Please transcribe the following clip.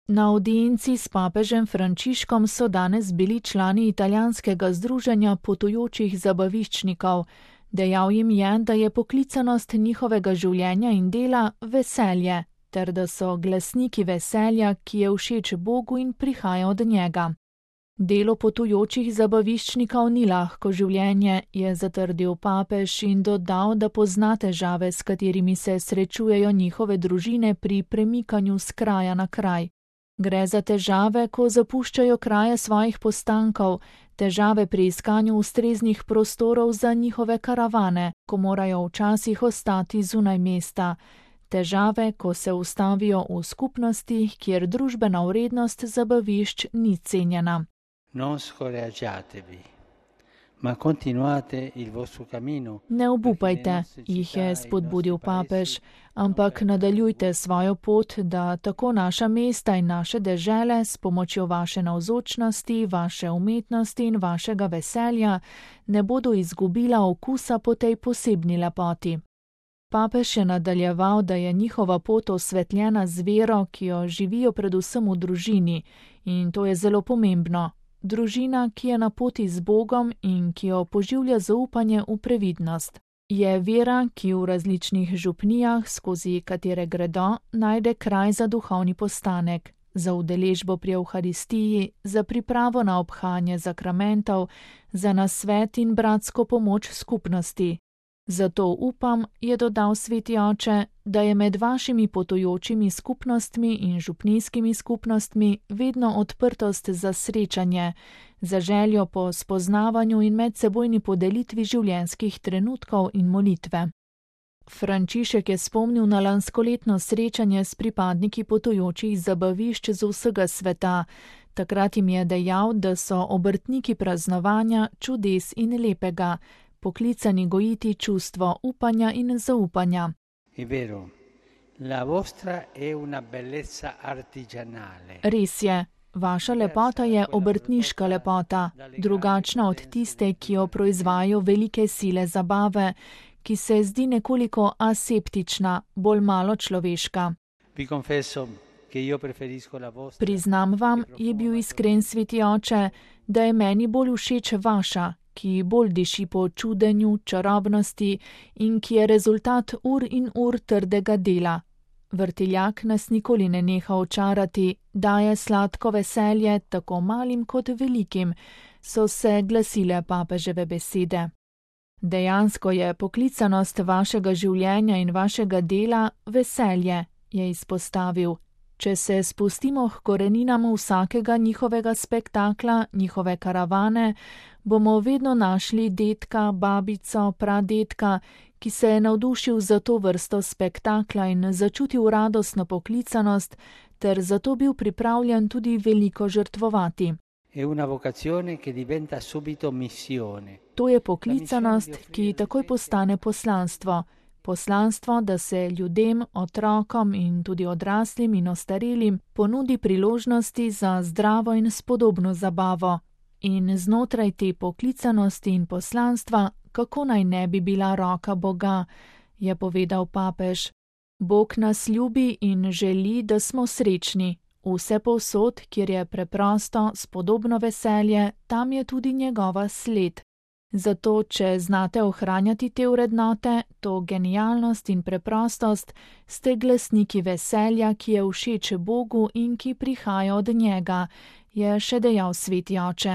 Na audienci s papežem Frančiškom so danes bili člani italijanskega združenja potujočih zabaviščnikov. Dejal jim je, da je poklicanost njihovega življenja in dela veselje, ter da so glasniki veselja, ki je všeč Bogu in prihaja od njega. Delo potujočih zabaviščnikov ni lahko življenje, je zatrdil papež in dodal, da pozna težave, s katerimi se srečujejo njihove družine pri premikanju s kraja na kraj. Gre za težave, ko zapuščajo kraje svojih postankov, težave pri iskanju ustreznih prostorov za njihove karavane, ko morajo včasih ostati zunaj mesta, težave, ko se ustavijo v skupnosti, kjer družbena vrednost zabavišč ni cenjena. Non scoraggiatevi, ma continuate il vostro cammino. Ne obupajte, jih je spodbudil papež, ampak nadaljujte svojo pot, da tako naša mesta in naše dežele s pomočjo vaše navzočnosti, vaše umetnosti in vašega veselja ne bodo izgubila okusa po tej posebni lepoti. Papež je nadaljeval, da je njihova pot osvetljena z vero, ki jo živijo predvsem v družini, in to je zelo pomembno. Družina, ki je na poti z Bogom in ki jo poživlja zaupanje v previdnost. Je vera, ki v različnih župnijah, skozi katere gredo, najde kraj za duhovni postanek, za udeležbo pri Evharistiji, za pripravo na obhajanje zakramentov, za nasvet in bratsko pomoč skupnosti. Zato upam, je dodal sveti oče, da je med vašimi potujočimi skupnostmi in župnijskimi skupnostmi vedno odprtost za srečanje, za željo po spoznavanju in medsebojni podelitvi življenjskih trenutkov in molitve. Frančišek je spomnil na lanskoletno srečanje s pripadniki potujočih zabavišč z vsega sveta. Takrat jim je dejal, da so obrtniki praznovanja, čudes in lepega, poklicani gojiti čustvo upanja in zaupanja. Res je, vaša lepota je obrtniška lepota, drugačna od tiste, ki jo proizvajajo velike sile zabave, ki se zdi nekoliko aseptična, bolj malo človeška. Priznam vam, je bil iskren sveti oče, da je meni bolj všeč vaša, ki bolj diši po čudenju, čarobnosti in ki je rezultat ur in ur trdega dela. Vrtiljak nas nikoli ne neha očarati, daje sladko veselje tako malim kot velikim, so se glasile papeževe besede. Dejansko je poklicanost vašega življenja in vašega dela veselje, je izpostavil. Če se spustimo k koreninam vsakega njihovega spektakla, njihove karavane, bomo vedno našli dedka, babico, pradedka, ki se je navdušil za to vrsto spektakla in začutil radostno poklicanost, ter zato bil pripravljen tudi veliko žrtvovati. To je poklicanost, ki takoj postane poslanstvo. Poslanstvo, da se ljudem, otrokom in tudi odraslim in ostarelim ponudi priložnosti za zdravo in spodobno zabavo. In znotraj te poklicanosti in poslanstva, kako naj ne bi bila roka Boga, je povedal papež. Bog nas ljubi in želi, da smo srečni. Vse povsod, kjer je preprosto, spodobno veselje, tam je tudi njegova sled. Zato, če znate ohranjati te vrednote, to genialnost in preprostost, ste glasniki veselja, ki je všeč Bogu in ki prihaja od njega, je še dejal sveti oče.